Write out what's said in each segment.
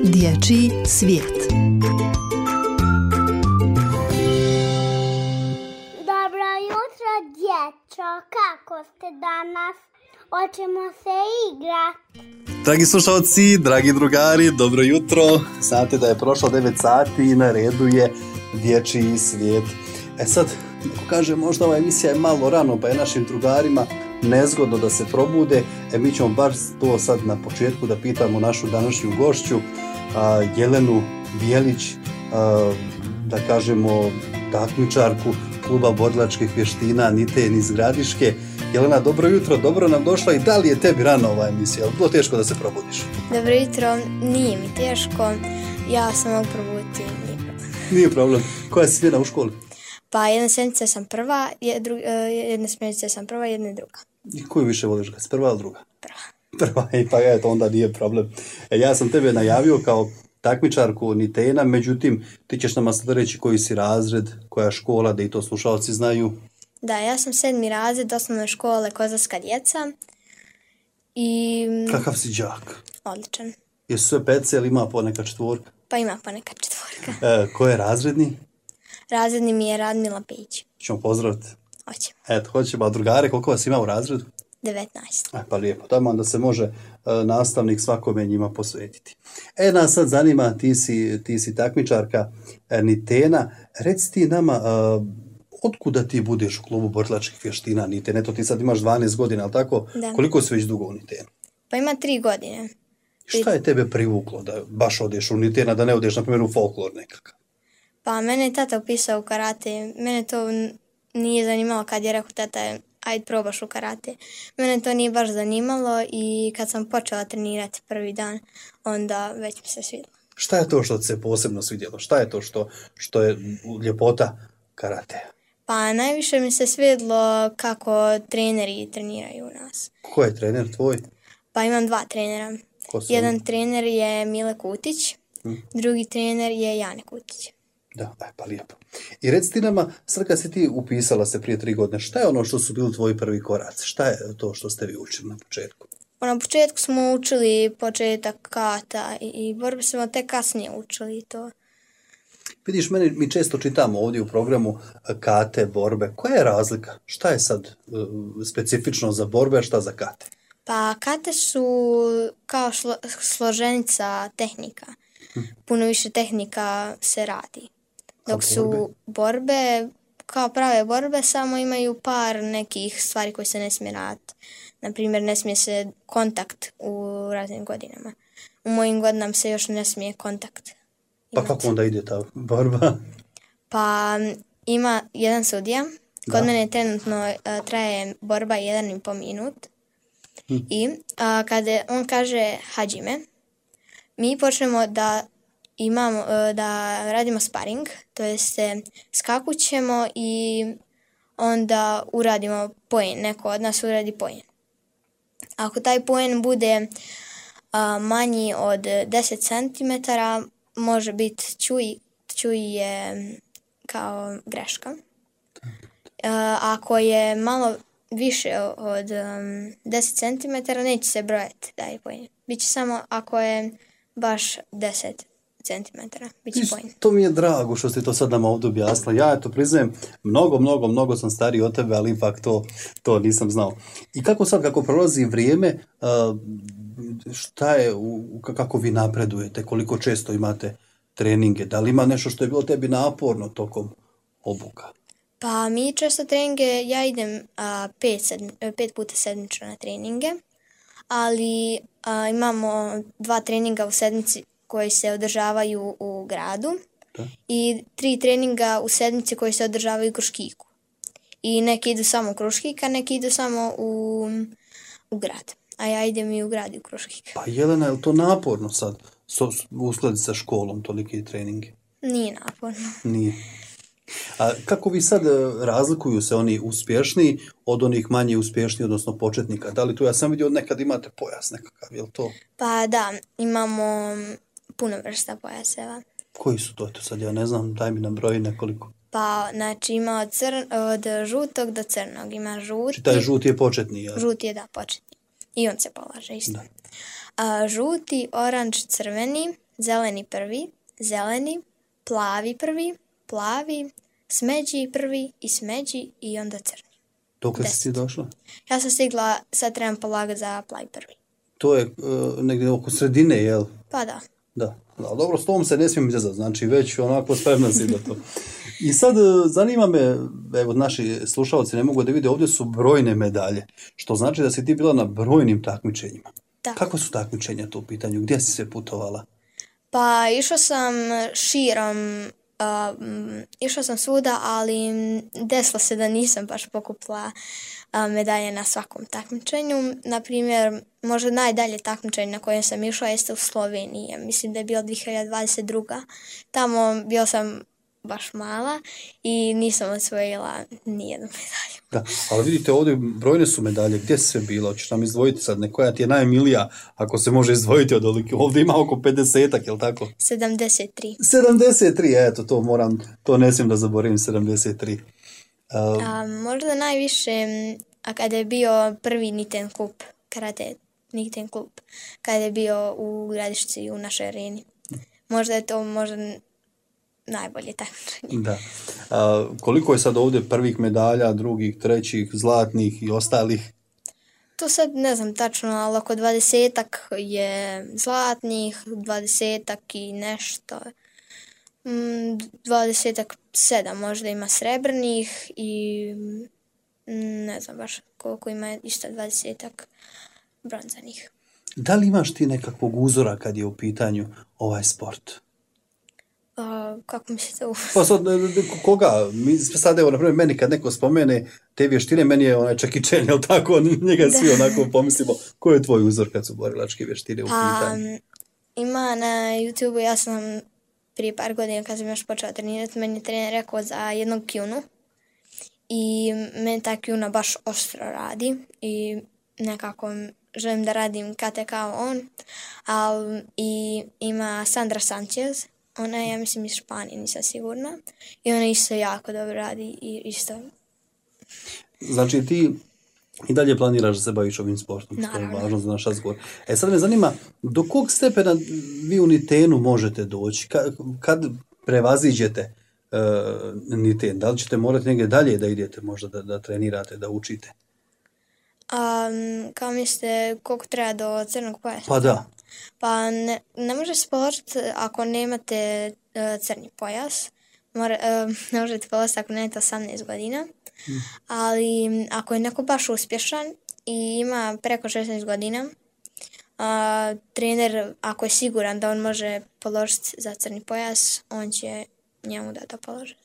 Dječji svijet. Dobro jutro, djeco. Kako ste danas? Hoćemo se igrati. Dragi slušalci, dragi drugari, dobro jutro. Znate da je prošlo 9 sati i na redu je Dječji svijet. Sad, neko kaže možda ova emisija je malo rano, pa je našim drugarima nezgodno da se probude. Mi ćemo baš to sad na početku da pitamo našu današnju gošću, Jelenu Bijelić, da kažemo takmičarku kluba borilačkih vještina Niten iz Gradiške. Jelena, dobro jutro, dobro nam došla i da li je tebi rano ova emisija? Je li bilo teško da se probudiš? Dobro jutro, nije mi teško, ja sam mogu probuditi, nije problem. Nije problem. Koja si smjena u školi? Pa jedna smjenica sam prva, jedna smjenica sam prva, jedna druga. I koju više voliš, ga si prva ili druga? Prva. Pa eto, onda nije problem. Ja sam tebe najavio kao takmičarku Nitena, međutim, ti ćeš nama sad reći koji si razred, koja škola, da i to slušalci znaju. Da, ja sam 7. razred osnovne škole Kozarska djeca i... Kakav si đak? Odličan. Jesu sve pece ili ima poneka četvorka? Pa ima poneka četvorka. Ko je razredni? Razredni mi je Radmila Pejić. Ćemo pozdraviti. Hoćemo. Eto, hoćemo. A drugare, koliko vas ima u razredu? 19. Pa lijepo, tamo onda se može nastavnik svakome njima posvetiti. Nas sad zanima, ti si takmičarka Nitena. Reci ti nama, otkuda ti budeš u klubu borilačkih vještina Niten? Eto, ti sad imaš 12 godina, ali tako? Da. Koliko si već dugo u Nitenu? Pa ima 3 godine. Šta je tebe privuklo da baš odeš u Nitena, da ne odeš, na primjer, u folklor nekakav? Pa mene je tata upisao u karate. Mene to nije zanimalo kad je rekao tata, ajde probaš u karate. Mene to nije baš zanimalo i kad sam počela trenirati prvi dan, onda već mi se svidjelo. Šta je to što ti se posebno svidjelo? Šta je to što je ljepota karatea? Pa najviše mi se svidjelo kako treneri treniraju nas. Ko je trener tvoj? Pa imam 2 trenera. Ko su Jedan oni? trener je Mile Kutić, drugi trener je Jane Kutić. Da, pa lijepo. I reci ti nama, sad kad si ti upisala se prije 3 godine, šta je ono što su bili tvoji prvi koraci? Šta je to što ste vi učili na početku? Na početku smo učili početak kata i borbe smo tek kasnije učili to. Vidiš, mi često čitamo ovdje u programu kate, borbe. Koja je razlika? Šta je sad specifično za borbe, a šta za kate? Pa kate su kao složenica tehnika. Puno više tehnika se radi. Dok su borbe, kao prave borbe, samo imaju par nekih stvari koje se ne smije raditi. Naprimjer, ne smije se kontakt u raznim godinama. U mojim godinama se još ne smije kontakt imati. Pa kako onda ide ta borba? Pa ima jedan sudija. Kod mene trenutno traje borba 1,5 minut. I kada on kaže hađime, mi počnemo da radimo sparing, to jest skakućemo i onda uradimo poen, neko od nas uradi poen. Ako taj poen bude manji od 10 cm, može biti čuj je kao greška. Ako je malo više od 10 cm, neće se brojati da je poen. Biće samo ako je baš 10 cm. Biće poen. To mi je drago što ste to sad nam ovdje objasnila. Ja to priznajem, mnogo sam stariji od tebe, ali ipak to nisam znao. I kako prolazi vrijeme, šta je, kako vi napredujete, koliko često imate treninge? Da li ima nešto što je bilo tebi naporno tokom obuka? Pa mi često treninge, ja idem 5 puta sedmično na treninge, ali imamo 2 treninga u sedmici koji se održavaju u gradu i 3 treninga u sedmici koji se održavaju u Kruškiku. I neki idu samo u Kruškik, a neki idu samo u grad. A ja idem i u grad i u Kruškik. Pa Jelena, je li to naporno sad uskladiti sa školom toliki treningi? Nije naporno. Nije. A kako vi sad razlikuju se oni uspješniji od onih manje uspješniji, odnosno početnika? Da li tu, ja sam vidio nekad imate pojas nekakav, je li to? Pa da, imamo puno vrsta pojaseva. Koji su to? Eto sad ja ne znam, daj mi nam broji nekoliko. Pa, znači ima od žutog do crnog. Ima žuti. Či taj žuti je početni, jel? Žuti je, da, početni. I on se polaže isto. Žuti, oranž, crveni, zeleni prvi, zeleni, plavi prvi, plavi, smeđi prvi i smeđi i onda crni. Dokle si ti došla? Ja sam stigla, sad trebam polagati za plavi prvi. To je negdje oko sredine, jel? Pa da. Da, dobro, s tom se ne smijem izazvati, znači već onako spremna si da to. I sad zanima me, evo naši slušalci ne mogu da vide, ovdje su brojne medalje, što znači da si ti bila na brojnim takmičenjima. Da. Kako su takmičenja to u pitanju? Gdje si sve putovala? Pa išla sam širom, išla sam svuda, ali desilo se da nisam baš pokupila medalje na svakom takmičenju. Naprimjer, možda najdalje takmičenje na kojem sam išla jeste u Sloveniji. Mislim da je bilo 2022. Tamo bio sam baš mala i nisam osvojila nijednu medalju. Da, ali vidite ovdje brojne su medalje, gdje si sve bila? Hoćeš nam izdvojiti sad nekoja ti je najmilija, ako se može izdvojiti od olike. Ovdje ima oko 50-ak, jel tako? 73. 73, eto, to ne smijem da zaboravim, 73. Možda najviše, a kada je bio prvi Niten klub, karate Niten klub, kada je bio u Gradišci u našoj areni. Možda je to najbolje takmičenje. Da. Koliko je sad ovdje prvih medalja, drugih, trećih, zlatnih i ostalih? To sad ne znam tačno, ali oko 20-ak je zlatnih, 20-ak i nešto. 27 možda ima srebrnih i ne znam baš koliko ima isto 20-ak bronzanih. Da li imaš ti nekakvog uzora kad je u pitanju ovaj sport? Kako mi se to Pa sad, koga? Sad evo, naprimjer, meni kad neko spomene te vještine, meni je onaj Jackie Chan, jel tako? Njega svi onako pomislimo. Ko je tvoj uzor kad su borilačke vještine u pitanju? Ima na YouTube-u, ja sam prije par godina kad sam još počela trenirati, meni je trener rekao za jednog kjunu i meni ta kjuna baš oštro radi i nekako želim da radim kate kao on, ali i ima Sandra Sanchez, ona je, ja mislim, iz Španije, nisam sigurna, i ona isto jako dobro radi i isto. Znači ti i dalje planiraš da se baviš ovim sportom, što je važno za naš razgovor. Sad me zanima, do kog stepena vi u Nitenu možete doći? Kad prevaziđete Niten? Da li ćete morati negdje dalje da idete, možda da trenirate, da učite? Kao mislite, koliko treba do crnog pojasa? Pa da. Pa ne može sport ako nemate crni pojas. Ne možete polaziti ako nemate 18 godina. Ali ako je neko baš uspješan i ima preko 16 godina, trener, ako je siguran da on može položiti za crni pojas, on će njemu da to položi.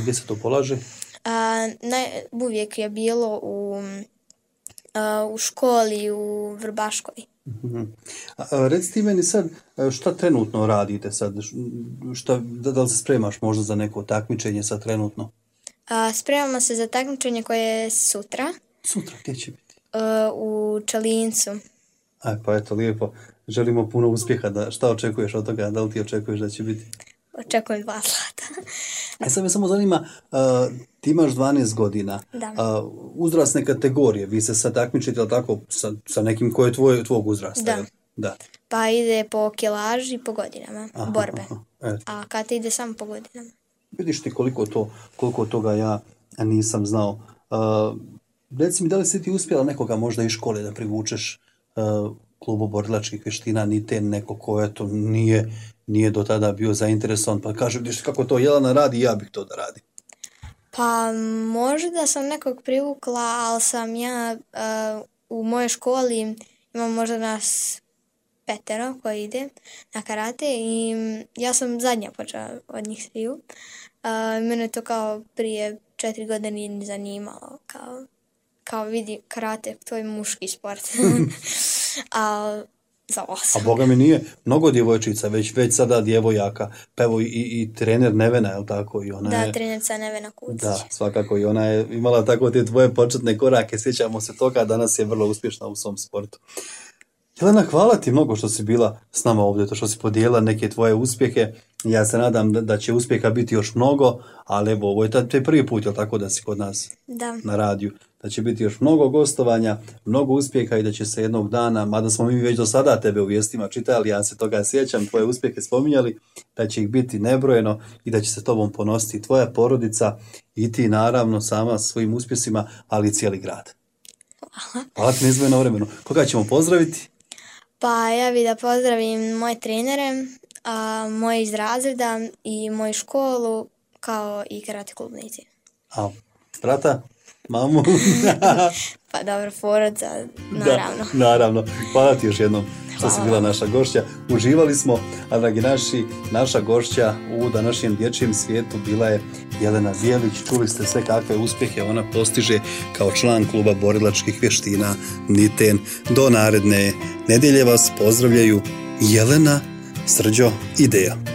Gdje se to polaže? Uvijek je bilo u školi, u Vrbaškoj. Reci ti meni sad, šta trenutno radite sad? Da li se spremaš možda za neko takmičenje sad trenutno? Spremamo se za takmičenje koje je sutra. Sutra, gdje će biti? U Čalincu. Pa eto, lijepo. Želimo puno uspjeha. Šta očekuješ od toga? Da li ti očekuješ da će biti? Očekujem 2 zlata. Sad me samo zanima, ti imaš 12 godina. Da. Uzrasne kategorije, vi se sad takmičite, ali tako, sa nekim ko je tvog uzrasta? Da. Pa ide po kilaži, po godinama, borbe. A kada ide samo po godinama. Vidiš ti koliko toga ja nisam znao. Reci mi, da li si ti uspjela nekoga možda iz škole da privučeš klubu borilačkih vještina, Niten, neko ko eto nije do tada bio zainteresovan, pa kaže, vidiš kako to Jelena radi, ja bih to da radim. Pa možda sam nekog privukla, ali sam ja u mojoj školi imam možda nas 5 koji ide na karate i ja sam zadnja počela od njih sviju. Mene to kao prije 4 godine nije zanimalo, kao vidi karate, to je muški sport. A boga mi nije mnogo djevojčica, već sada djevojaka, pa evo i trener Nevena, je li tako? I ona da, trenerca Nevena Kucić. Da, svakako, i ona je imala tako te tvoje početne korake, sjećamo se toga, danas je vrlo uspješna u svom sportu. Jelena, hvala ti mnogo što si bila s nama ovdje, to što si podijelila neke tvoje uspjehe. Ja se nadam da će uspjeha biti još mnogo, ali evo, ovo je taj prvi put, jel tako, da si kod nas na radiju. Da će biti još mnogo gostovanja, mnogo uspjeha i da će se jednog dana, mada smo mi već do sada tebe u vijestima čitali, ja se toga sjećam, tvoje uspjehe spominjali, da će ih biti nebrojeno i da će se tobom ponositi tvoja porodica i ti naravno sama svojim uspjesima, ali i cijeli grad. Hvala ti na izdvojenom vremenu. Koga ćemo pozdraviti? Pa ja bih da pozdravim moje trenere, moje iz razreda i moju školu, kao i karate klubnici. A brata? Mamu? Pa dobro, porodica, naravno. Da, naravno. Hvala ti još jednom što si bila naša gošća. Uživali smo, a dragi naši, naša gošća u današnjem dječjem svijetu bila je Jelena Bijelić. Čuli ste sve kakve uspjehe ona postiže kao član kluba borilačkih vještina Niten. Do naredne nedjelje vas pozdravljaju Jelena, Srđo i Deja.